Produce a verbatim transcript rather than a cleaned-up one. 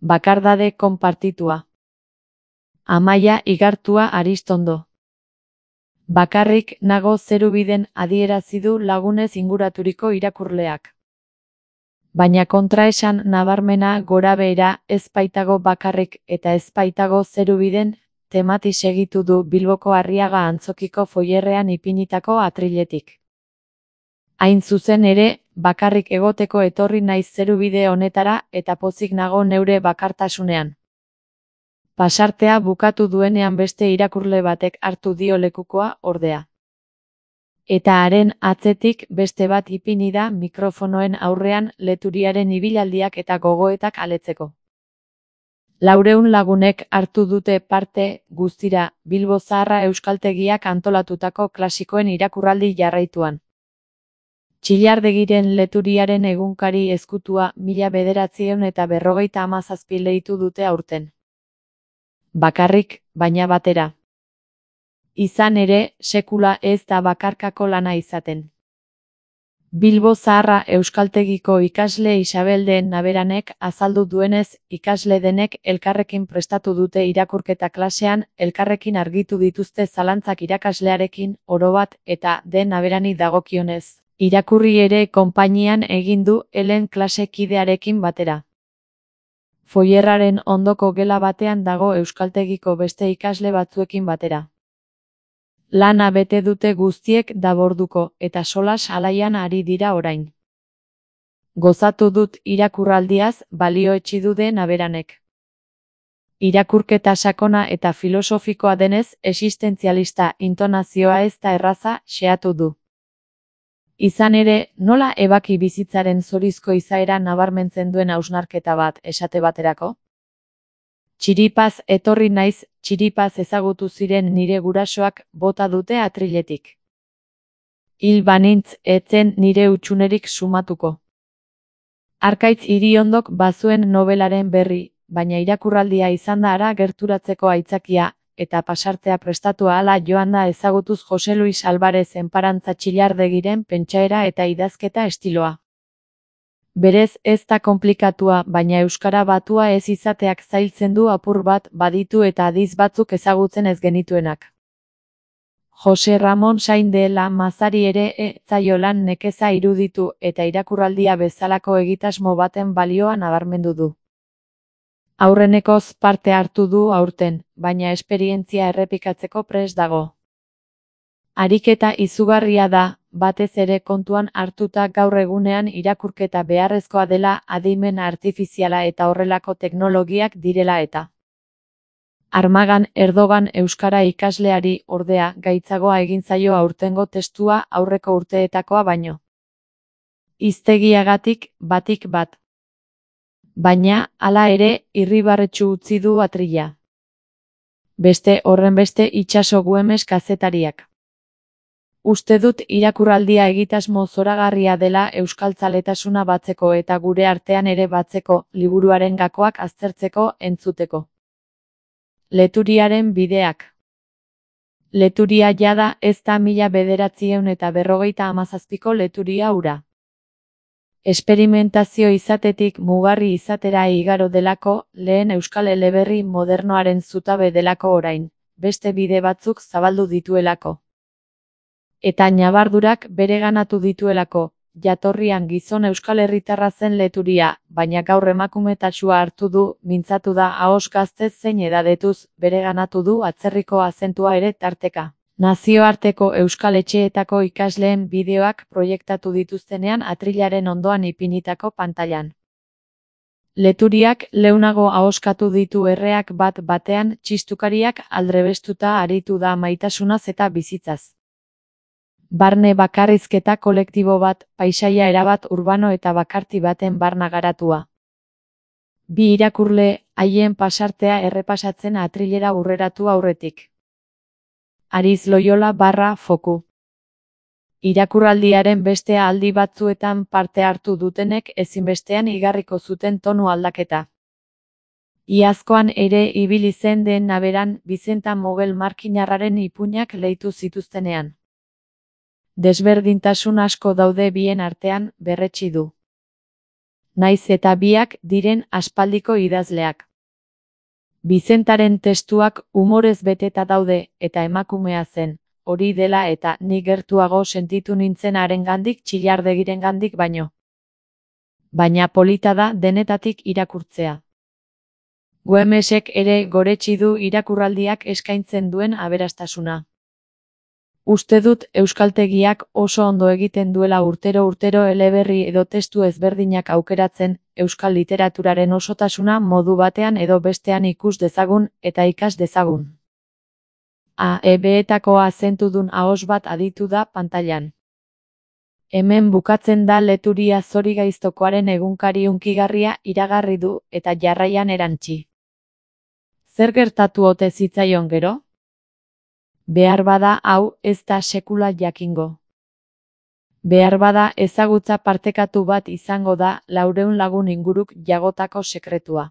Bakardade konpartitua. Amaia Igartua Aristondo. Bakarrik nago zerubiden adierazi du lagunez inguraturiko irakurleak. Baina kontraesan nabarmena gorabehera ez baitago bakarrik eta ez baitago zerubiden temati segitu du Bilboko Arriaga Antzokiko foierrean ipinitako atriletik. Hain zuzen ere, bakarrik egoteko etorri naiz zerubide honetara eta pozik nago neure bakartasunean. Pasartea bukatu duenean beste irakurle batek hartu dio lekukoa, ordea. Eta haren atzetik beste bat ipini da mikrofonoen aurrean leturiaren ibilaldiak eta gogoetak aletzeko. Laureun lagunek hartu dute parte guztira Bilbo Zaharra Euskaltegiak antolatutako klasikoen irakurraldi jarraituan. Txillardegiren leturiaren egunkari ezkutua mila bederatziehun eta berrogeita hamazazpi leitu dute aurten. Bakarrik, baina batera. Izan ere, sekula ez da bakarkako lana izaten. Bilbo Zaharra Euskaltegiko ikasle Isabel de Naberanek azaldu duenez, ikasle denek elkarrekin prestatu dute irakurketa klasean, elkarrekin argitu dituzte zalantzak irakaslearekin, orobat, eta de Naberani dagokionez. Irakurri ere konpainian egin du Helen klase kidearekin batera. Foierraren ondoko gela batean dago Euskaltegiko beste ikasle batzuekin batera. Lana bete dute guztiek daborduko eta solas alaian ari dira orain. Gozatu dut irakurraldiaz, balioetsi du de Naberanek. Irakurketa sakona eta filosofikoa denez, existentzialista intonazioa ez da erraza, xeatu du. Izan ere, nola ebaki bizitzaren zorizko izaera nabarmentzen duen hausnarketa bat esate baterako? Txiripaz etorri naiz, txiripaz ezagutu ziren nire gurasoak bota dute atriletik. Hil banintz etzen nire utxunerik sumatuko. Arkaitz Iriondok bazuen nobelaren berri, baina irakurraldia izan da hara gerturatzeko aitzakia, eta pasartea prestatu ahala joan da ezagutuz Jose Luis Alvarez enparantza Txillardegiren pentsaera eta idazketa estiloa. Berez ez da konplikatua, baina euskara batua ez izateak zailtzen du apur bat baditu eta adiz batzuk ezagutzen ez genituenak. Jose Ramon Sain de la Mazari ere ez zaio lan nekeza iruditu eta irakurraldia bezalako egitasmo baten balioa nabarmendu du. Aurrenekoz parte hartu du aurten, baina esperientzia errepikatzeko prest dago. Ariketa izugarria da, batez ere kontuan hartuta gaur egunean irakurketa beharrezkoa dela adimen artifiziala eta horrelako teknologiak direla eta. Armagan Erdogan euskara ikasleari ordea gaitzagoa egin zaio aurtengo testua aurreko urteetakoa baino. Hiztegiagatik batik bat. Baina, hala ere, irribarretsu utzi du atrila. Beste horrenbeste itsaso Güemes kazetariak. Uste dut irakurraldia egitasmo zoragarria dela euskaltzaletasuna batzeko eta gure artean ere batzeko, liburuaren gakoak aztertzeko, entzuteko. Leturiaren bideak. Leturia jada ez da mila bederatziehun eta berrogeita hamazazpiko leturia hura. Esperimentazio izatetik mugarri izatera igaro delako, lehen euskal eleberri modernoaren zutabe delako orain, beste bide batzuk zabaldu dituelako. Eta ñabardurak bereganatu dituelako, jatorrian gizon euskal herritarra zen leturia, baina gaur emakumetatsua hartu du, mintzatu da ahos gaztez zein edadetuz, bereganatu du atzerriko azentua ere tarteka. Nazioarteko euskal etxeetako ikasleen bideoak proiektatu dituztenean atrilaren ondoan ipinitako pantailan. Leturiak leunago ahoskatu ditu erreak bat batean txistukariak aldrebestuta aritu da maitasunaz eta bizitzaz. Barne bakarrizketa kolektibo bat, paisaia erabat urbano eta bakarti baten barna garatua. Bi irakurle, haien pasartea errepasatzen atrilera urreratu aurretik. Ariz Loyola barra foku. Irakurraldiaren beste aldi batzuetan parte hartu dutenek ezinbestean igarriko zuten tonu aldaketa. Iazkoan ere ibili zen den Naberan Bizenta Mogel markinarraren ipuinak leitu zituztenean. Desberdintasun asko daude bien artean, berretsi du. Naiz eta biak diren aspaldiko idazleak. Bizentaren testuak umorez beteta daude, eta emakumea zen, hori dela eta ni gertuago sentitu nintzen harengandik txillardegirengandik baino. Baina polita da denetatik irakurtzea. Güemesek ere goretsi du irakurraldiak eskaintzen duen aberastasuna. Uste dut euskaltegiak oso ondo egiten duela urtero-urtero eleberri edo testu ezberdinak aukeratzen, euskal literaturaren osotasuna modu batean edo bestean ikus dezagun eta ikas dezagun. A E B-etako azentudun ahos bat aditu da pantailan. Hemen bukatzen da Leturia Zorigaiztokoaren egunkari hunkigarria iragarri du eta jarraian erantsi. Zer gertatu ote zitzaion gero? Behar bada hau ez da sekula jakingo. Behar bada ezagutza partekatu bat izango da laurehun lagun inguruk jagotako sekretua.